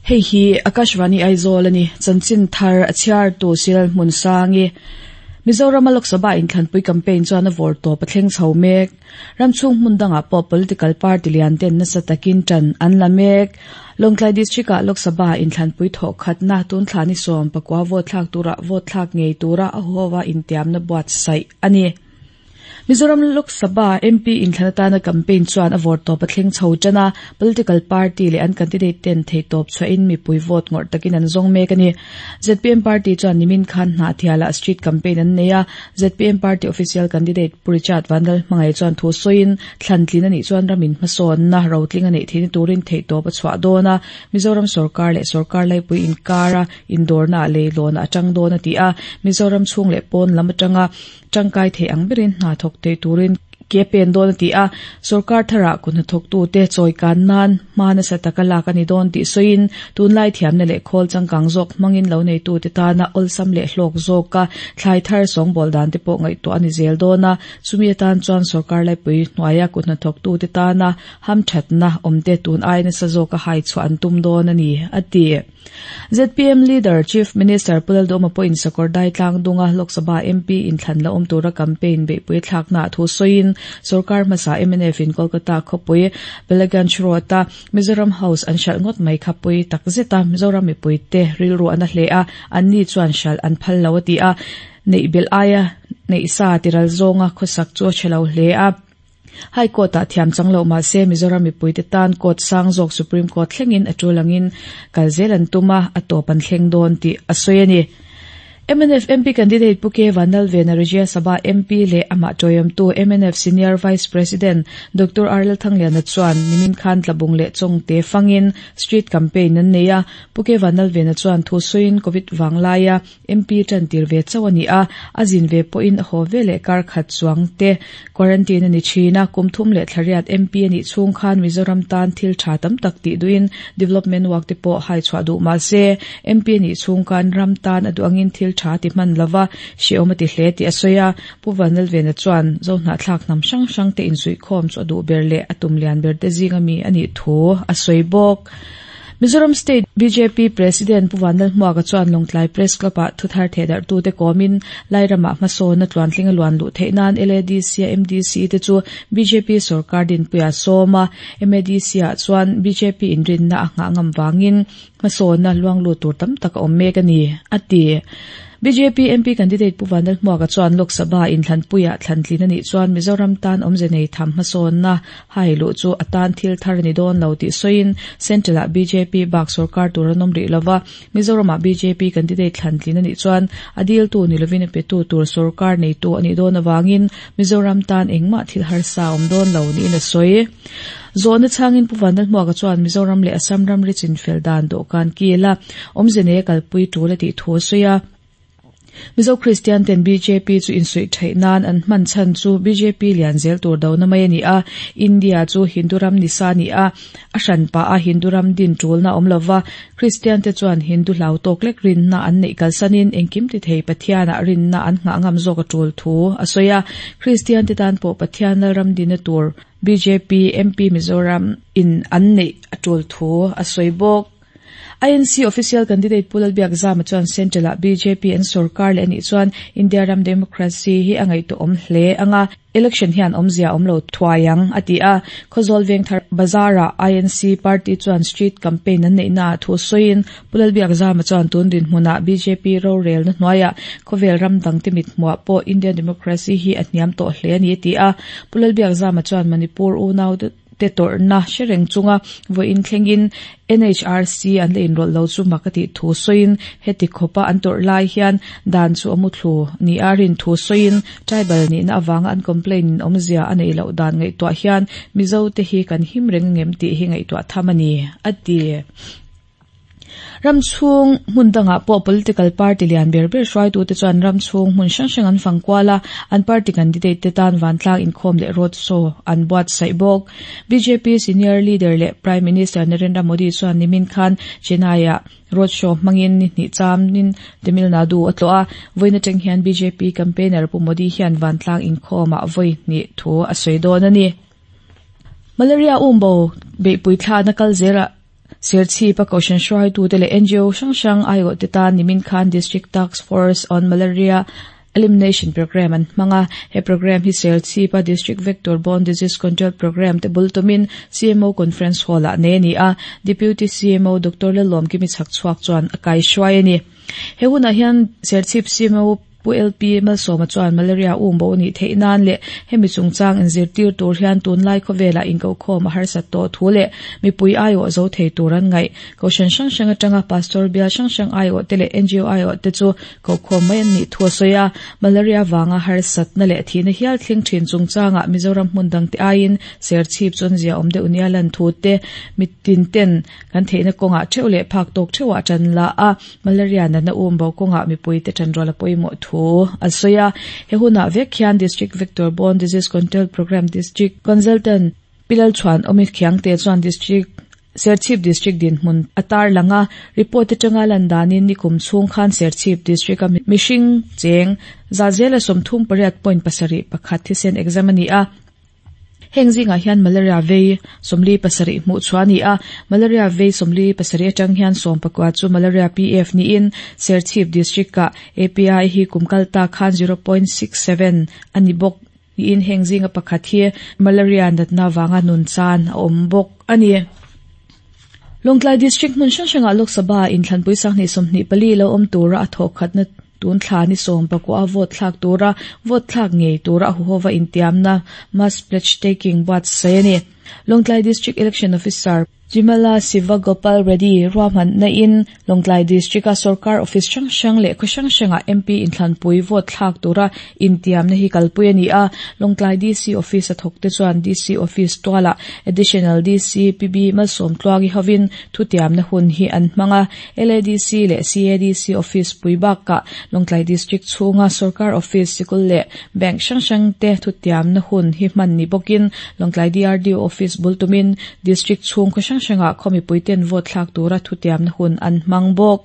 Hei hi Akashvani Aizawl a ni. Chanchin thar a chhiartu Siral Hmunsangi. Mizorama Lok Sabha inthlanpui campaign chuan a vawr tawp a thleng chho mek. Ram chhung hmun dangah pawh political party lian ten nasa takin tan an la mek. Lawngtlai District-ah Lok Sabha inthlanpui thawh khatna tun thla ni 19 vote thlak tura vote thlak ngei tura a huhova intiamna buatsaih a ni. Mizoram Lok Sabha MP inthlan atana campaign chuan a vawr tawp a thleng chho tan a, political party leh an candidate ten theihtawp chhuahin mipui vote ngawrh takin an zawng mek a ni. ZPM party chuan nimin khan Hnahthialah street campaign an nei a, ZPM party official candidate Pu Richard Vanlalhmangai chuan thu sawiin thlantlin a nih chuan ramin hmasawnna rotling a neih theihna turin theihtawp a chhuah dawn a, Mizoram sorkar leh sorkar laipui inkara indawrnaah leilawn a tang dawn a ti a, Mizoram chhung leh pawn lam atanga Tangkai thei ang berin hna thawk thei turin ke pen dawn a ti a, sorkar tharah kut hnathawktute chawi kan nan hma nasa taka lak a ni dawn tih sawiin tunlai thiamna leh khawl changkang zawk hmangin lo neitute tana awlsam leh hlawk zawka thlai thar sawngbawl dan te pawh ngaihtuah a ni zel dawn a, chumi atan chuan sorkar laipui hnuaia kut hnathawktute tana hamthatna awmte tun ai nasa zawka hai chhuah an tum dawn a ni, a ti. ZPM Leader, Chief Minister Pu Lalduhoma pawhin Sakawrdai tlangdunga Lok Sabha MP inthlan la awm tura campaign beihpui thlaknaah thu sawiin sorkar hmasa mnf in Kolkata khawpui Belaganj Road-a Mizoram House an hralh ngawt mai kha pui tak zet a, Mizoram mipuite rilru an a hle a, anni chuan hralh an phal lo a ti a, neih belh aia neih sa tiral zawnga khawsak chu a tha lo hle a. High Court-ah thiam chang loh mah se Mizoram mipuite tan Court sang zawk Supreme Court thlengin a tul angin kal zel an tum a, a tawp an thleng dawn tih a sawi a ni. Mnf MP candidate Pu K Vanlalvena Rajya Sabha MP leh amah tawihawmtu mnf Senior Vice President Doctor R Lalthangliana chuan nimin khan Tlabung leh Chawngte fangin Street Campaign an nei a. Pu K Vanlalvena chuan thu sawiin Covid vanglaia MP tan tir ve chauh a ni a, a zin ve pawhin a haw ve leh kar khat chuang te quarantine a ni thin a, kum thum leh thlariat MP a nih chhung khan Mizoram tan thil tha tam tak tih duhin development work te pawh hai chhuah duh mah se MP a nih chhung khan ram tan a duh angin thil tha ti hman lova hrehawm a ti hle tih a sawi a, Pu Vanlalvena chuan Zohnahthlak hnam hrang hrang te insuihkhawm chu a duh ber leh a tum lian ber te zinga mi a nih thu a sawi bawk. Mizoram State bjp President Pu Vanlalhmuaka chuan Lawngtlai Press Club-ah thuthar thehdarhtute kawmin Lairamah hmasawnna tluantling a luan luh theih nan LADC-a MDC te chu bjp sorkar dinpuia sawm a, MADC-ah chuan bjp inrinna a nghah ngam vangin hmasawnna luang lut tur tam tak a awm mek a ni, a ti. Bjp MP candidate Pu Vanlalhmuaka chuan Lok Sabha inthlanpuiah thlantlin a nih chuan Mizoram tan awmze nei tham hmasawnna hai luh chu a tan thil thar a ni dawn lo tih sawiin Central-ah bjp bak sorkar tur an awm rih lova, Mizoramah bjp candidate thlantlin a nih chuan a diltu ni lovin a petu tur sorkar neitu a nih dawn avangin Mizoram tan engmah thil harsa a awm dawn lo niin a sawi. Zawhna chhangin Pu Vanlalhmuaka chuan Mizoram leh Assam ramri chinfel dan dawhkan kila awmze nei a kalpui tul a tih thu a sawi a. Mizo Kristian ten bjp chu insuih theih nan an hman chhan chu bjp lian zel tur dona mai a ni a, India chu Hindu ram ni sa ni a, a hran pah a Hindu ram din tulna awm lova, Kristian te chuan Hindu hlau tawk lek rinna an neih kalsanin engkim ti thei Pathianah rinna an nghah ngam zawk a tul thu a sawi a, Kristian te tan pawh Pathian Lalram dina tur bjp MP Mizoram in an neih a tul thu a sawi bawk. INC official candidate Pu Lalbiakzama chuan Central-ah bjp an sorkar leh a nih chuan India ram democracy hi a ngaihtuahawm hle ang a, election hian awmzia a awm lo thuai ang, a ti a. Khawzawl Vengthar Bazar-ah INC party chuan street campaign an neihnaah thu sawiin Pu Lalbiakzama chuan tun dinhmunah bjp rorelna hnuaiah khawvel ram dangte mithmuah pawh Indian democracy hi a hniam tawh hle a ni, a ti a. Pu Lalbiakzama chuan Manipur unau te tawrhna hre reng chunga vawiin thlengin NHRC an la inrawlh lo chu mak a tih thu sawiin heti khawpa an tawrh lai hian dan chu a muthlu nia rin thu sawiin tribal nihna avanga an complaint in awmzia a neih loh dan ngaihtuah hian Mizo te hi kan him reng ngem tih hi ngaihtuah tham a ni, a ti. Ram chhung hmun dangah pawh political party lian ber ber hruaitute chuan ram chhung hmun hrang hrang an fang kual a, an party candidate te tan vantlang inkhawm leh road show an buatsaih bawk. Bjp senior leader leh Prime Minister Narendra Modi chuan nimin khan Chennai-ah road show hmangin ni hnih chamin Tamil Nadu a tlawh a, vawiin atang hian bjp campaigner Pu Modi hian vantlang inkhawmah vawi hnih thu a sawi dawn a ni. Malaria umbo beihpui thlahna kal zelah. Serchhip a Kohhran hruaitute leh ngo hrang hrang aiawhte tan nimin khan District Task Force on Malaria Elimination Programme an hmang a. He programme hi Serchhip a District Vector Borne Disease Control Programme te bul tumin CMO Conference Hall ah nei a ni a, Deputy CMO Doctor Lalawmkimi Chhakchhuak chuan a kaihruai a ni. He hunah hian Serchhip CMO Pu LP Malsawma chuan malaria um bo nih theih nan leh hemi chungchang inzirtir tur hian tunlai khawvelah inkohkhawm a harsat tawh thu leh mipui aiawh zo thei tur an ngaih. Kohhran hrang hrang atanga Pastor bial hrang hrang aiawh te leh ngo aiawh te chu kokhawm mai an nih thu a sawi a. Malaria vanga harsatna leh thihna hial thleng thin chungchangah Mizoram hmun dangte aiin serchhip chu an ziaawm deuh nia lan thu te mitin ten kan theihna kawngah theuh leh phak tawk theuhah tan la a. Malaria natna um bo kawngah mipuite tanrual a pawimawh thu a sawi a. He hunah vek hian District Vector Borne Disease Control Programme District Consultant Pi Lalchhuan Awmi Khiangte chuan District Serchhip District dinhmun a tarlang a. Report atanga lan danin nikum chhung khan Serchhip District a mihring cheng zahzela 38.71 thisen exam a ni a. Heng zingah hian malaria vei 47 hmuh chhuah a ni a, malaria vei 47 atang hian 19 chu malaria PF niin Serchhip District-ah API hi kum kal ta khan 0.67 a ni bawk niin heng zinga pakhat hi malaria natna vanga nun chan a awm bawk a ni. Lawngtlai District hmun hrang hrangah Lok Sabha inthlanpui sanghnih 24 lo awm tura a thawhkhatna tun thla ni 19 a vote thlak tura vote thlak ngei tura a huhova intiamna mass pledge taking buatsaih a ni. Lawngtlai District Election Officer Jimala Sivagopal Reddy ruahmanna in Lawngtlai District a sorkar office hrang hrang leh khaw hrang hrangah MP inthlanpui vote thlak tura intiamna hi kalpui a ni a. Lawngtlai DC Office a thawkte chuan DC Office tualah Additional DC PB Malsawmtluangi hovin thutiamna hun hi an hmang a. LADC leh CADC Office pui bakah Lawngtlai District chhunga sorkar office sikul leh bank hrang hrangte thutiamna hun hi hman ni bawkin Lawngtlai DRDO Office bul tumin District chhung khaw hrang hrangah khaw mipuiten vote thlak tura thutiamna hun an hmang bawk.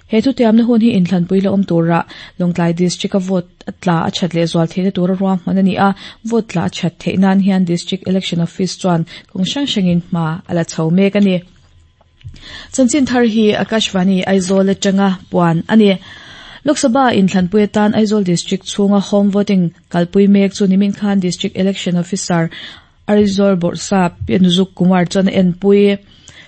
He thutiamna hun hi inthlanpui la awm tura Lawngtlai District-a vote a tla a that leh zual theihna tura ruahman a ni a, vote tla a that theih nan hian District Election Office chuan kawng hrang hrangin hma a la chho mek a ni. Chanchin thar hi Akashvani Aizawl atanga puan a ni. Lok Sabha inthlanpui atan Aizawl District chhunga home voting kalpui mek chu nimin khan District Election Officer Aizawl Bawrhsap Pinuzuk Kumar chuan a enpui.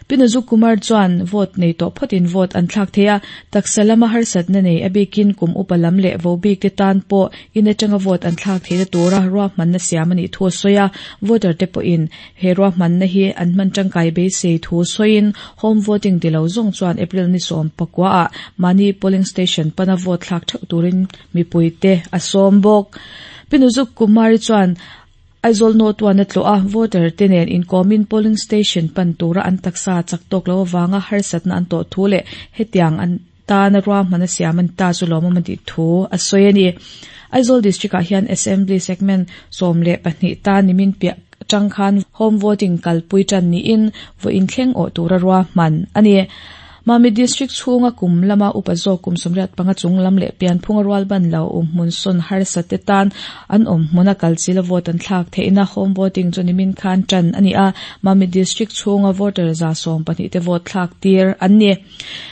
Pinuzuk Kumar chuan vote nei tawh phawtin vote an thlak thei a, taksa lama harsatna nei a bikin kum upa lam leh vo bik te tan pawh in atanga vote an thlak theihna tura ruahmanna siam a nih thu a sawi a, voter te pawhin he ruahmanna hi an hman tangkai beisei thu sawiin home voting ti lo zawng chuan April ni 19 ah mahni polling station pana vote thlak theuh turin mipuite a sawm bawk. Pinuzuk Kumar-i chuan Aizawl North One a tlawh a, voter te nen inkawmin polling station pan tura an taksa chak tawk lo avanga harsatna an tawh thu leh hetiang an tana ruahman a siam a ni ta chu lawmawm a tih thu a sawi a ni. Aizawl District ah hian Assembly Segment 12 tan nimin piah atang khan home voting kalpui tan niin vawiin thleng awh tura ruahman a ni. Mamit District chhunga kum lama upa zawk kum 85 chung lam leh pianphunga rual ban lo um hmun sawn harsa te tan an awm hmuna kal chila vote an thlak theihna home voting chu nimin khan tan a ni a, Mamit District chhunga voter 12 te vote thlak tir an ni.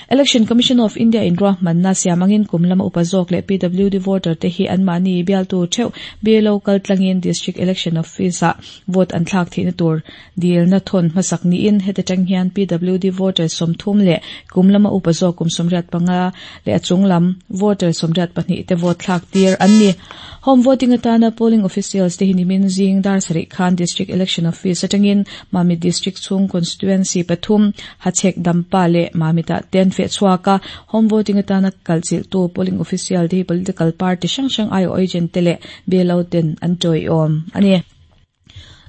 Election Commission of India in ruahmanna siam angin kum lama upa zawk leh PWD voter te hi anmahni bialtu theuh BLO kal tlangin District Election Office ah vote an thlak theihna tur dilna thawn hmasak niin heti tang hian PWD voter 30 leh kum lama upa zawk kum 85 leh a chung lam voter 82 te vote thlak tir an ni. Home voting atana polling officials te hi nimin zing dar sarih khan District Election Office atangin Mamit District chhung constituency pathum Hachhek Dampa leh Mamit-ah ten feh chhuak a, home voting atana kalchilhtu polling official te hi political party hrang hrang aiawh agent te leh BLO ten an tawiawm a ni.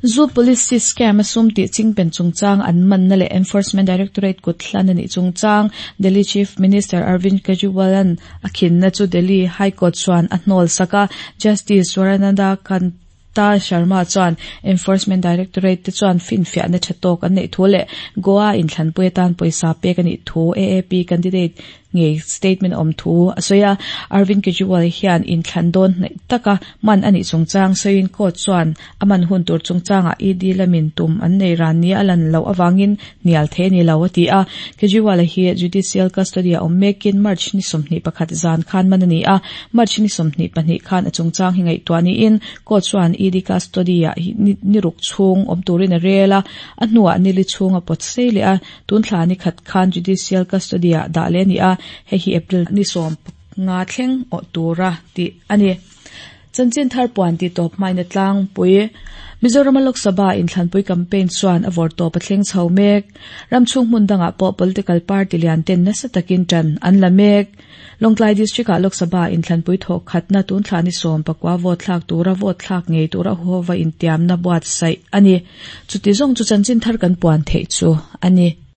Zu policy scam a sum tih chingpen chungchang an manna leh Enforcement Directorate kut hlan a nih chungchang Delhi Chief Minister Arvind Kejriwal-a'n a khinna chu Delhi High Court chuan a hnawl sak a, Justice Swarananda Kanta Sharma chuan Enforcement Directorate te chuan finfiahna tha tawk an neih thu leh Goa inthlanpui atan pawisa pek a nih thu AAP candidate. ngei statement a awm thu a sawi a. Arvind Kejriwal hian inthlan dawn hnaih taka man a nih chungchang sawiin court chuan a man hun tur chungchangah ED lamin tum an nei ran nia a lan loh avangin hnial thei a ni lo a ti a. Kejriwal-a hi judicial custody a awm mekin March ni 21 zan khan man a ni a, March ni 22 khan a chungchang hi ngaihtuah niin court chuan ED custody-ah ni ruk chhung awm turin a rel a, a hnuah nili chhung a pawt sei leh a, tun thla ni khat khan judicial custody-ah dah leh a ni a, hei hi April ni 15 thleng awh tura tih a ni. Chanchin thar puan tih tawp hmaina tlangpui Mizorama Lok Sabha inthlanpui campaign chuan a vawrtawp a thleng chho mek. Ram chhung hmun dangah pawh political party lian ten nasa takin tan an la mek. Lawngtlai District-ah Lok Sabha inthlanpui thawh khatna tun thla ni 19 vote thlak tura vote thlak ngei tura huhova intiamna buatsaih a ni. Chuti zawng chu chanchin thar kan puan theih chu a ni.